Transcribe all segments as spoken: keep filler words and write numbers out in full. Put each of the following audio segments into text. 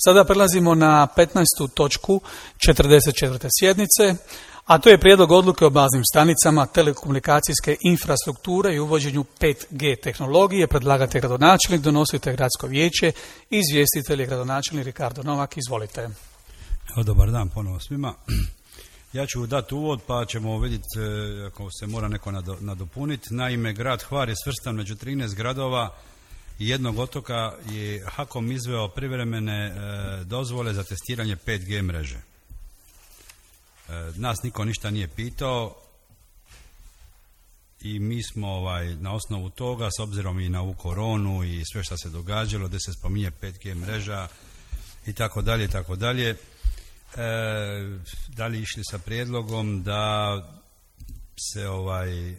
Sada prelazimo na petnaestu točku četrdeset četvrte sjednice, a to je prijedlog odluke o baznim stanicama telekomunikacijske infrastrukture i uvođenju pet G tehnologije. Predlagatelj gradonačelnik, donositelj gradsko vijeće, izvjestitelj je gradonačelnik Ricardo Novak. Izvolite. Evo, dobar dan ponovo svima. Ja ću dati uvod pa ćemo vidjeti ako se mora neko nadopuniti. Naime, grad Hvar je svrstan među trinaest gradova i jednog otoka je HAKOM izveo privremene e, dozvole za testiranje pet G mreže. E, nas niko ništa nije pitao i mi smo ovaj, na osnovu toga, s obzirom i na ovu koronu i sve što se događalo, gdje se spominje pet G mreža i tako dalje, tako dalje, da li išli sa prijedlogom da se ovaj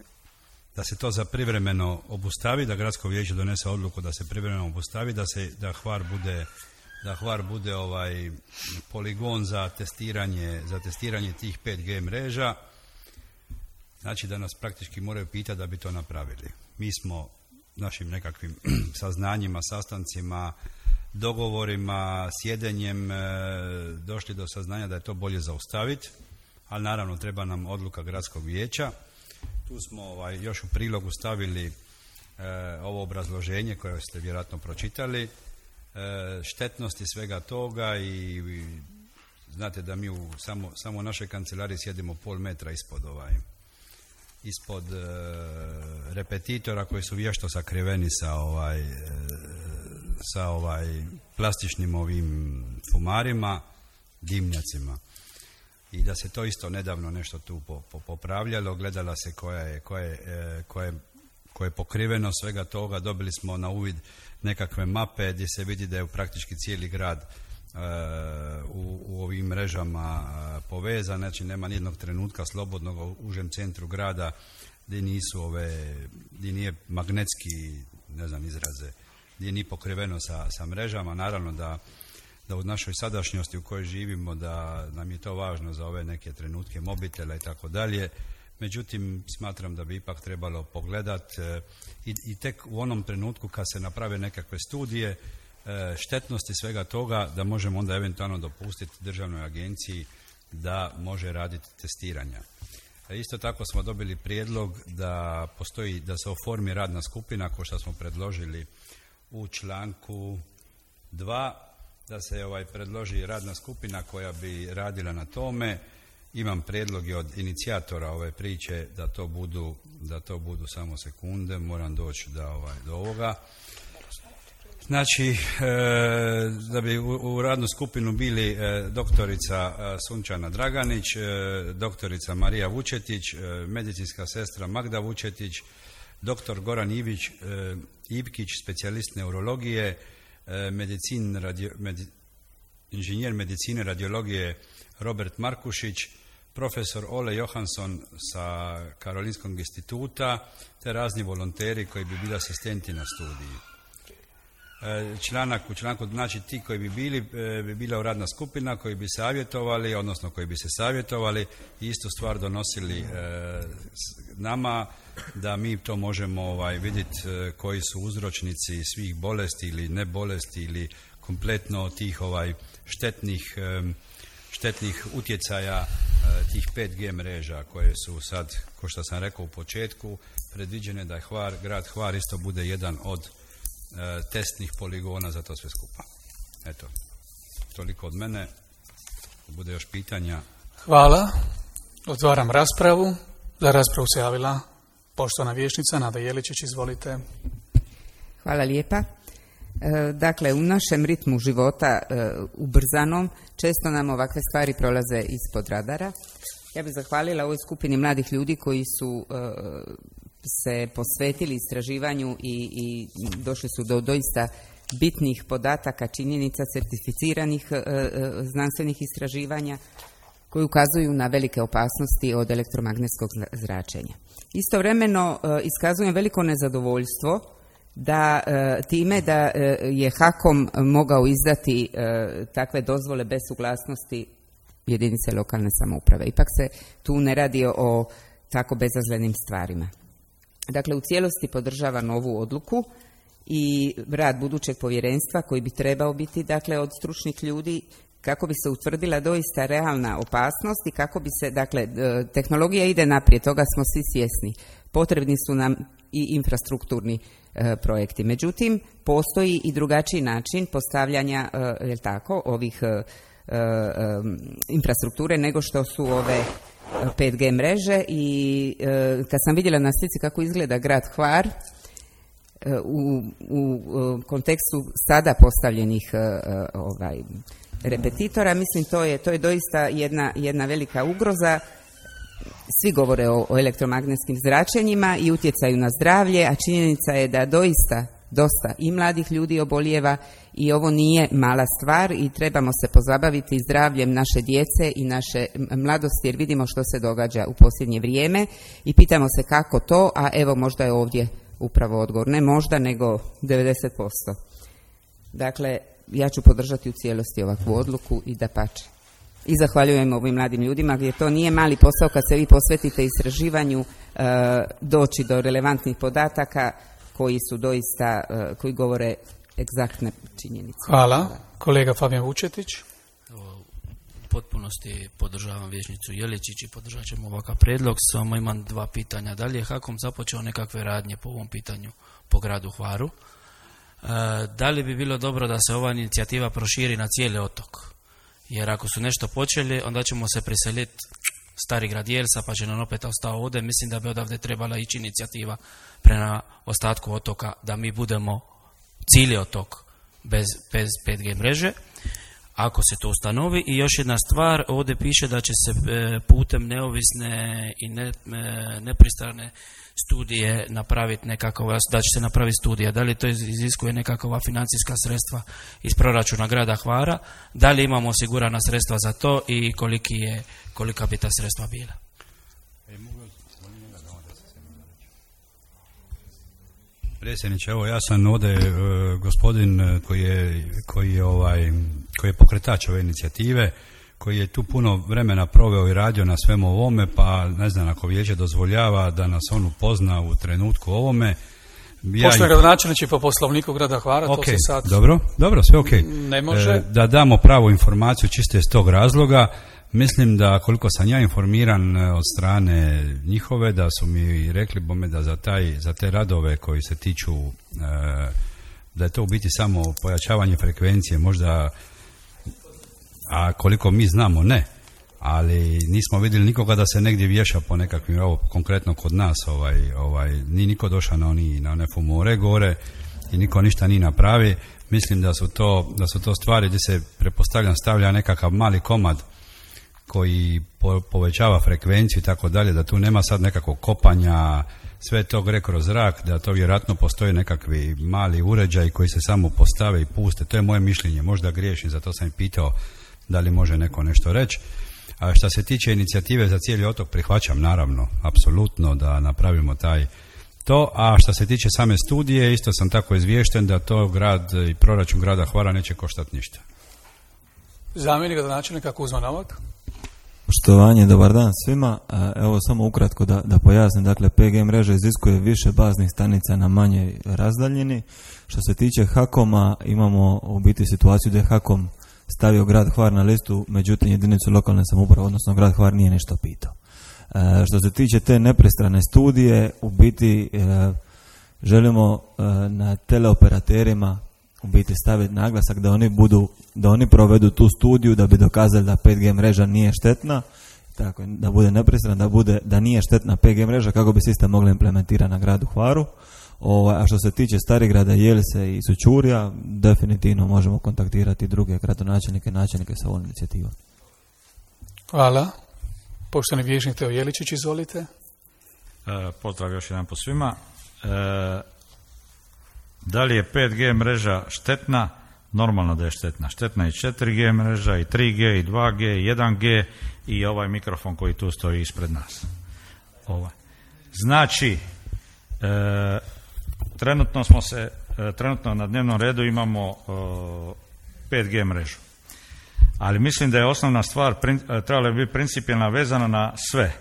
da se to za privremeno obustavi, da gradsko vijeće donese odluku da se privremeno obustavi, da se da Hvar bude da Hvar bude ovaj poligon za testiranje za testiranje tih pet G mreža. Znači da nas praktički moraju pitati da bi to napravili. Mi smo našim nekakvim saznanjima, sastancima, dogovorima, sjedenjem e, došli do saznanja da je to bolje zaustaviti, ali naravno treba nam odluka gradskog vijeća. Tu smo ovaj, još u prilogu stavili e, ovo obrazloženje koje ste vjerojatno pročitali, e, štetnosti svega toga i, i znate da mi u samo, samo u našoj kancelariji sjedimo pol metra ispod ovaj ispod e, repetitora koji su vješto sakriveni sa ovaj e, sa ovaj plastičnim ovim fumarima, dimnjacima. I da se to isto nedavno nešto tu popravljalo, gledala se koja je, koja je, koja je, koja je pokriveno svega toga, dobili smo na uvid nekakve mape gdje se vidi da je praktički cijeli grad uh, u, u ovim mrežama uh, povezan, znači nema nijednog trenutka slobodnog u užem centru grada gdje nisu ove, gdje nije magnetski, ne znam izraze, gdje nije pokriveno sa, sa mrežama. Naravno da, da u našoj sadašnjosti u kojoj živimo da nam je to važno za ove neke trenutke mobitela i tako dalje. Međutim, smatram da bi ipak trebalo pogledati e, i, i tek u onom trenutku kad se naprave nekakve studije e, štetnosti svega toga, da možemo onda eventualno dopustiti državnoj agenciji da može raditi testiranja. E, isto tako smo dobili prijedlog da postoji, da se oformi radna skupina, kao što smo predložili u članku dva, da se ovaj predloži radna skupina koja bi radila na tome. Imam prijedloge od inicijatora ove priče da to budu, da to budu samo sekunde, moram doći da ovaj, do ovoga. Znači, e, da bi u, u radnu skupinu bili e, doktorica e, Sunčana Draganić, e, doktorica Marija Vučetić, e, medicinska sestra Magda Vučetić, doktor Goran Ivić, e, Ipkić, specijalist neurologije, e, medicin, radio, med, inženjer medicine radiologije Robert Markušić, profesor Ole Johansson sa Karolinskog instituta, te razni volonteri koji bi bili asistenti na studiji. E, članak u članku, znači ti koji bi bili, e, bi bila radna skupina koji bi savjetovali, odnosno koji bi se savjetovali i istu stvar donosili e, nama, da mi to možemo ovaj, vidjeti e, koji su uzročnici svih bolesti ili ne bolesti ili kompletno tih ovaj štetnih e, štetnih utjecaja e, tih pet G mreža koje su sad, kao što sam rekao u početku, predviđene da je Hvar, grad Hvar isto bude jedan od e, testnih poligona za to sve skupa. Eto, toliko od mene. Bude još pitanja. Hvala. Otvaram raspravu. Za raspravu se javila poštovana vijećnica Nada Jeličić. Izvolite. Hvala lijepa. Dakle, u našem ritmu života ubrzanom često nam ovakve stvari prolaze ispod radara. Ja bih zahvalila ovoj skupini mladih ljudi koji su se posvetili istraživanju i, i došli su do doista bitnih podataka, činjenica, certificiranih znanstvenih istraživanja koji ukazuju na velike opasnosti od elektromagnetskog zračenja. Istovremeno iskazujem veliko nezadovoljstvo da e, time da e, je HAKOM mogao izdati e, takve dozvole bez suglasnosti jedinice lokalne samouprave. Ipak se tu ne radi o tako bezazlenim stvarima. Dakle, u cijelosti podržavam ovu odluku i rad budućeg povjerenstva koji bi trebao biti dakle od stručnih ljudi kako bi se utvrdila doista realna opasnost i kako bi se, dakle, tehnologija ide naprijed, toga smo svi svjesni. Potrebni su nam i infrastrukturni e, projekti. Međutim, postoji i drugačiji način postavljanja, e, je tako, ovih e, e, infrastrukture nego što su ove pet G mreže i e, kad sam vidjela na slici kako izgleda grad Hvar, U, u kontekstu sada postavljenih uh, ovaj, repetitora, mislim to je, to je doista jedna, jedna velika ugroza. Svi govore o, o elektromagnetskim zračenjima i utjecaju na zdravlje, a činjenica je da doista dosta i mladih ljudi obolijeva i ovo nije mala stvar i trebamo se pozabaviti zdravljem naše djece i naše mladosti jer vidimo što se događa u posljednje vrijeme i pitamo se kako to, a evo možda je ovdje upravo odgovor. Ne možda, nego devedeset posto. Dakle, ja ću podržati u cijelosti ovakvu odluku i dapače. I zahvaljujem ovim mladim ljudima gdje to nije mali posao kad se vi posvetite istraživanju e, doći do relevantnih podataka koji su doista, e, koji govore egzaktne činjenice. Hvala. Kolega Fabijan Vučetić. U potpunosti podržavam vijećnicu Jeličić i podržat ćemo ovakav prijedlog. Samo imam dva pitanja. Da li je HAKOM započeo nekakve radnje po ovom pitanju po gradu Hvaru? E, da li bi bilo dobro da se ova inicijativa proširi na cijeli otok? Jer ako su nešto počeli, onda ćemo se preseliti Stari grad Jelsa, pa će nam opet ostao ovdje. Mislim da bi odavde trebala ići inicijativa prema ostatku otoka, da mi budemo cijeli otok bez, bez pet G mreže. Ako se to ustanovi. I još jedna stvar, ovdje piše da će se putem neovisne i ne, nepristrane studije napraviti nekakva, da će se napraviti studija. Da li to iziskuje nekakva financijska sredstva iz proračuna grada Hvara, da li imamo osigurana sredstva za to i koliki je, kolika bi ta sredstva bila? Predsjedniče, evo ja sam ovdje e, gospodin koji je, koji, je, ovaj, koji je pokretač ove inicijative, koji je tu puno vremena proveo i radio na svemu ovome, pa ne znam ako vijeće dozvoljava da nas on upozna u trenutku ovome. Ja Pošto je gradonačelnici po poslovniku grada Hvara, okay, to se sad dobro, dobro, sve ok. Ne može. E, da damo pravu informaciju čiste iz tog razloga. Mislim da koliko sam ja informiran od strane njihove, da su mi rekli bome da za, taj, za te radove koji se tiču, e, da je to u biti samo pojačavanje frekvencije, možda, a koliko mi znamo ne, ali nismo vidjeli nikoga da se negdje vješa po nekakvim, evo konkretno kod nas, ovaj, ovaj, ni niko došao na, oni, na one fumore gore i niko ništa nije napravi. Mislim da su to, da su to stvari gdje se pretpostavljam stavlja nekakav mali komad koji po, povećava frekvenciju i tako dalje, da tu nema sad nekakvog kopanja, sve to gre kroz zrak, da to vjerojatno postoje nekakvi mali uređaj koji se samo postave i puste. To je moje mišljenje, možda griješim, zato sam i pitao da li može neko nešto reći. A što se tiče inicijative za cijeli otok, prihvaćam naravno, apsolutno da napravimo taj to, a što se tiče same studije, isto sam tako izviješten da to grad i proračun grada Hvara neće koštati ništa. Zamjenik gradonačelnika Kuzma Novak. Poštovanje, dobar dan svima. Evo samo ukratko da, da pojasnim, dakle pet G mreža iziskuje više baznih stanica na manjoj razdaljini. Što se tiče HAKOM-a, imamo u biti situaciju da je HAKOM stavio grad Hvar na listu, međutim jedinicu lokalne samouprave, odnosno grad Hvar nije ništa pitao. E, što se tiče te nepristrane studije, u biti e, želimo e, na teleoperaterima u biti staviti naglasak da oni budu, da oni provedu tu studiju da bi dokazali da pet G mreža nije štetna, tako da bude nepristrana, da bude da nije štetna pet G mreža kako bi sistem mogli implementirati na gradu Hvaru. O, a što se tiče Starigrada, Jelise i Sućurja, definitivno možemo kontaktirati druge gradonačelnike, načelnike sa ovom inicijativom. Hvala. Poštovani vijećnik Teo Jeličić, izvolite. E, pozdrav još jedan po svima. E, da li je pet G mreža štetna? Normalno da je štetna. Štetna je četiri G mreža, i tri G, i dva G, i jedan G i ovaj mikrofon koji tu stoji ispred nas. Ovaj. Znači, e, trenutno smo se, e, trenutno na dnevnom redu imamo e, pet G mrežu. Ali mislim da je osnovna stvar, prin, trebala bi biti principijelna vezana na sve.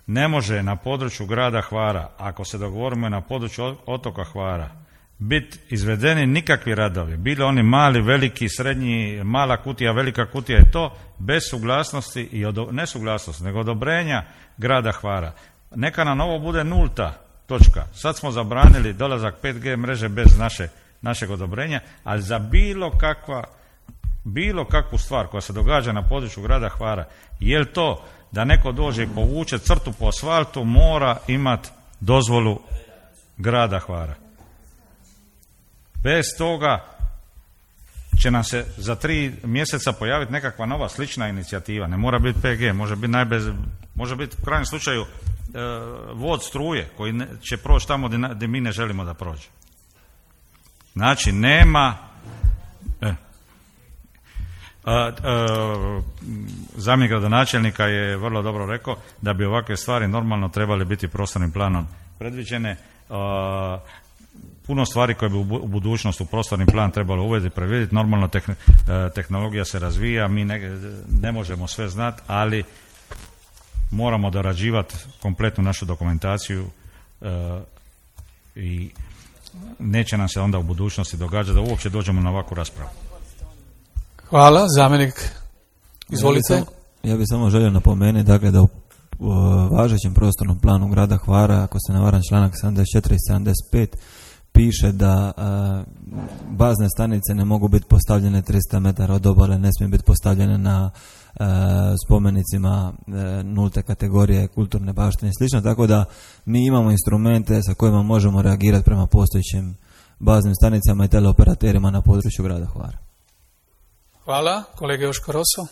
Ne može na području grada Hvara, ako se dogovorimo na području otoka Hvara, biti izvedeni nikakvi radovi, bili oni mali, veliki, srednji, mala kutija, velika kutija je to, bez suglasnosti i odo, ne suglasnosti, nego odobrenja grada Hvara. Neka nam ovo bude nulta točka. Sad smo zabranili dolazak pet G mreže bez naše, našeg odobrenja, ali za bilo kakva bilo kakvu stvar koja se događa na području grada Hvara, je li to da neko dođe i povuče crtu po asfaltu, mora imati dozvolu grada Hvara. Bez toga će nam se za tri mjeseca pojaviti nekakva nova slična inicijativa. Ne mora biti P G, može biti najbez, može biti u krajnjem slučaju e, vod struje koji ne, će proći tamo gdje mi ne želimo da prođe. Znači nema e, a, a, zamjenik gradonačelnika je vrlo dobro rekao da bi ovakve stvari normalno trebale biti prostornim planom predviđene. A, puno stvari koje bi u budućnosti u prostorni plan trebalo uvesti, predvidjeti. Normalno tehnologija se razvija, mi ne, ne možemo sve znati, ali moramo dorađivati kompletnu našu dokumentaciju e, i neće nam se onda u budućnosti događati da uopće dođemo na ovakvu raspravu. Hvala, zamjenik. Izvolite. Ja bih samo, ja bi samo želio napomenuti dakle, da u, u važećem prostornom planu grada Hvara, ako se ne varam, članak sedamdeset četiri i sedamdeset pet, piše da a, bazne stanice ne mogu biti postavljene tristo metara od obale, ne smije biti postavljene na a, spomenicima a, nulte kategorije kulturne baštine i slično, tako da mi imamo instrumente sa kojima možemo reagirati prema postojećim baznim stanicama i teleoperaterima na području grada Hvara. Hvala. Kolega Joško Roso.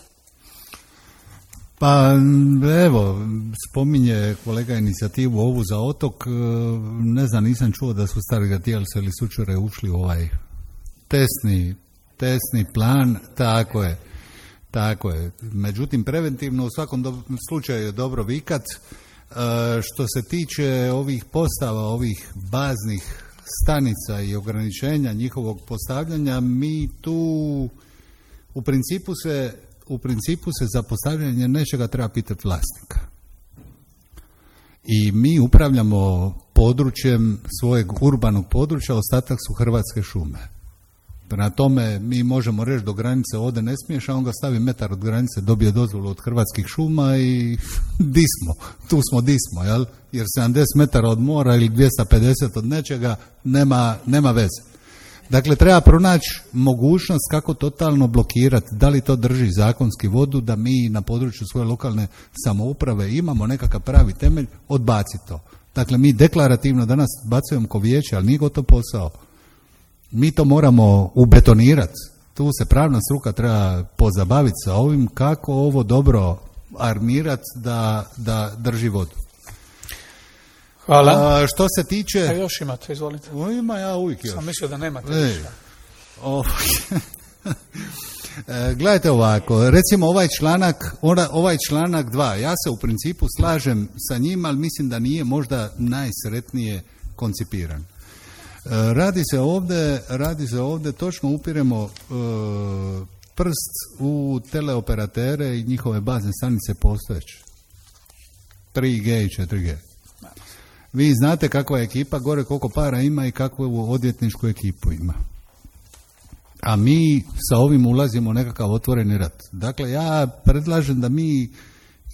Pa evo, spominje kolega inicijativu ovu za otok, ne znam, nisam čuo da su stari gatijalce ili sučure ušli u ovaj testni, testni plan, tako je, tako je. Međutim, preventivno u svakom do, slučaju je dobro vikat. E, što se tiče ovih postava, ovih baznih stanica i ograničenja njihovog postavljanja, mi tu u principu se U principu se za postavljanje nečega treba pitati vlasnika. I mi upravljamo područjem svojeg urbanog područja, ostatak su Hrvatske šume. Prema tome mi možemo reći do granice ovdje ne smiješ, a on ga stavi metar od granice, dobije dozvolu od Hrvatskih šuma i di smo, tu smo di smo, jel? Jer sedamdeset metara od mora ili dvjesto pedeset od nečega nema, nema veze. Dakle, treba pronaći mogućnost kako totalno blokirati, da li to drži zakonski vodu, da mi na području svoje lokalne samouprave imamo nekakav pravi temelj, odbaci to. Dakle, mi deklarativno danas bacujemo ko vijeće, ali nije gotov posao. Mi to moramo ubetonirati. Tu se pravna struka treba pozabaviti sa ovim kako ovo dobro armirati da, da drži vodu. Hvala. A, što se tiče... A još imate, izvolite. O, ima ja uvijek još. Sam mislio da nemate e, ništa. O, e, gledajte ovako, recimo ovaj članak, ovaj članak dva, ja se u principu slažem sa njim, ali mislim da nije možda najsretnije koncipiran. E, radi se ovdje, radi se ovdje, točno upiremo e, prst u teleoperatere i njihove bazne stanice postojeće. tri G i četiri G. Vi znate kakva je ekipa, gore koliko para ima i kakvu odvjetničku ekipu ima. A mi sa ovim ulazimo u nekakav otvoreni rat. Dakle, ja predlažem da mi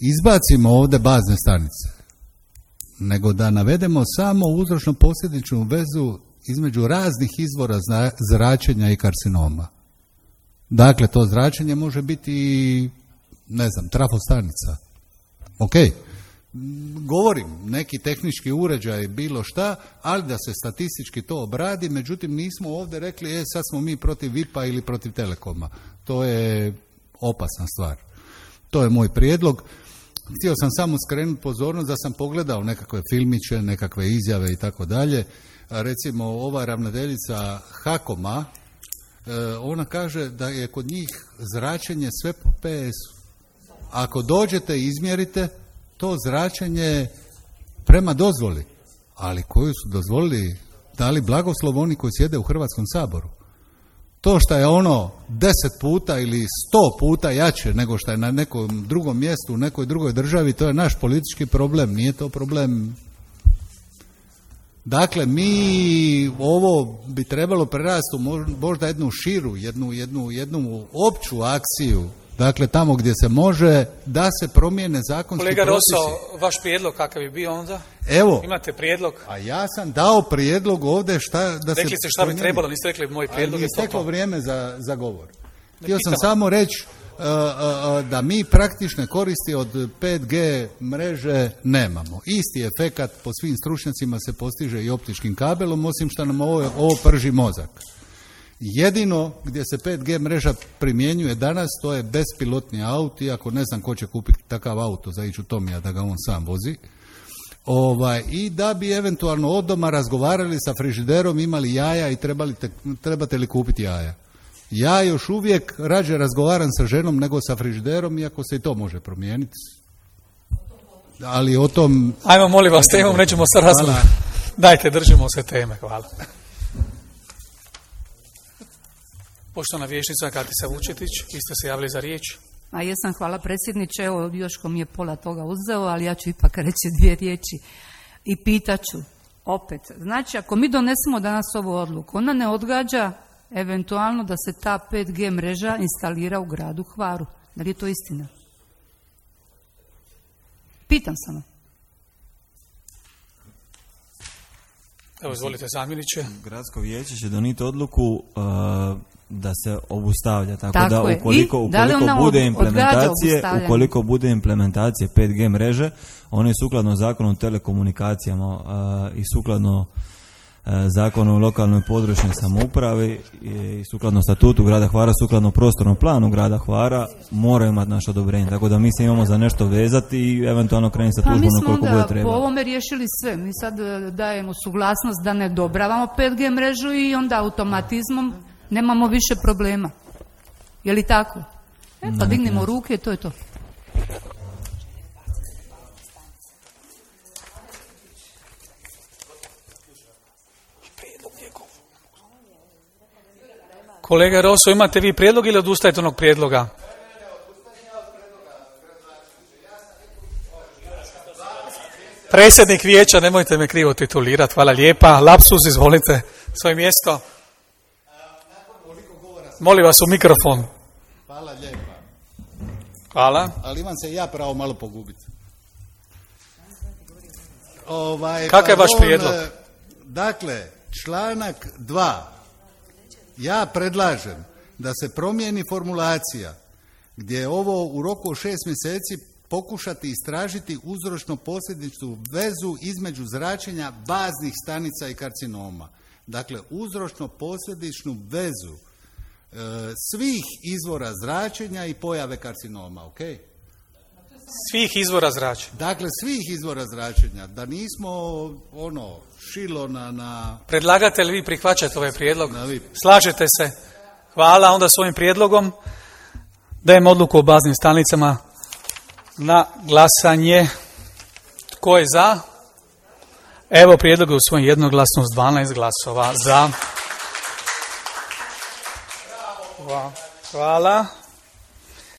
izbacimo ovdje bazne stanice, nego da navedemo samo uzročno-posljedičnu vezu između raznih izvora zračenja i karcinoma. Dakle, to zračenje može biti, ne znam, trafostanica. Ok. Govorim, neki tehnički uređaj, bilo šta, ali da se statistički to obradi, međutim nismo ovdje rekli, e, sad smo mi protiv V I P-a ili protiv Telekoma. To je opasna stvar. To je moj prijedlog. Htio sam samo skrenuti pozornost da sam pogledao nekakve filmiće, nekakve izjave i tako dalje. Recimo, ova ravnateljica Hakoma, ona kaže da je kod njih zračenje sve po P S-u. Ako dođete i izmjerite, to zračenje prema dozvoli, ali koju su dozvolili, dali blagoslov oni koji sjede u Hrvatskom saboru. To što je ono deset puta ili sto puta jače nego što je na nekom drugom mjestu, u nekoj drugoj državi, to je naš politički problem, nije to problem Dakle, mi ovo bi trebalo prerasti u možda jednu širu, jednu, jednu, jednu opću akciju, dakle tamo gdje se može da se promijene zakonski Kolega propisi. Roso, vaš prijedlog kakav bi bio onda? Evo, Imate prijedlog? a ja sam dao prijedlog ovdje šta da se Rekli ste šta bi trebalo, niste rekli moj prijedlog je je to. isteklo vrijeme za, za govor. Htio sam pitam. samo reći uh, uh, da mi praktične koristi od pet G mreže nemamo. Isti efekat po svim stručnjacima se postiže i optičkim kabelom, osim što nam ovo, ovo prži mozak. Jedino gdje se pet G mreža primjenjuje danas, to je bespilotni auto, iako ne znam ko će kupiti takav auto za ići u Tomija da ga on sam vozi. Ovaj, i da bi eventualno od doma razgovarali sa frižiderom, imali jaja i trebali te, trebate li kupiti jaja. Ja još uvijek rađe razgovaram sa ženom nego sa frižiderom, iako se i to može promijeniti. Ali o tom... Ajmo, molim vas, temom nećemo se razgovarati. Dajte, držimo se teme, hvala. Poštovana vijećnica Katica Vučetić, vi ste se javili za riječ. A jesam, hvala predsjedniče, evo Joško mi je pola toga uzeo, ali ja ću ipak reći dvije riječi i pitaću opet. Znači, ako mi donesemo danas ovu odluku, ona ne odgađa eventualno da se ta pet G mreža instalira u gradu Hvaru. Da li je to istina? Pitam samo. Evo, izvolite zamjeniče. Gradsko vijeće će donijeti odluku uh, da se obustavlja, tako, Tako da je. ukoliko, I da li ukoliko ona bude od- implementacije, odgađa ukoliko bude implementacije pet G mreže, oni sukladno zakonu o telekomunikacijama uh, i sukladno uh, zakonu o lokalnoj i područnoj samoupravi i sukladno statutu grada Hvara, sukladno prostornom planu grada Hvara, moraju imati naše odobrenje. Tako da mi se imamo za nešto vezati i eventualno krenuti sa Pa mi tužbom smo koliko bude onda po treba. ovome riješili sve. Mi sad e, dajemo suglasnost da ne odobravamo pet G mrežu i onda automatizmom nemamo više problema. Je li tako? E, pa Na neki dignemo način. ruke i to je to. Kolega Roso, imate vi prijedlog ili odustajete onog prijedloga? Predsjednik vijeća, nemojte me krivo titulirati, hvala lijepa. Lapsus, izvolite, svoje mjesto. Molim vas u mikrofon. Hvala lijepa. Hvala. Ali imam se i ja pravo malo pogubiti. Ovaj, Kakav je vaš pardon, prijedlog? e, Dakle, članak dva. Ja predlažem da se promijeni formulacija gdje je ovo u roku od šest mjeseci pokušati istražiti uzročno-posljedičnu vezu između zračenja baznih stanica i karcinoma. Dakle, uzročno-posljedičnu vezu e, svih izvora zračenja i pojave karcinoma, ok? Svih izvora zračenja. Dakle, svih izvora zračenja, da nismo ono šilo na, na Predlagatelj, vi prihvaćate ovaj prijedlog? Na vi. Slažete se? Hvala. Onda s ovim prijedlogom dajem odluku o baznim stanicama na glasanje. Tko je za? Evo, prijedlog je usvojen jednoglasno s dvanaest glasova za. Hvala.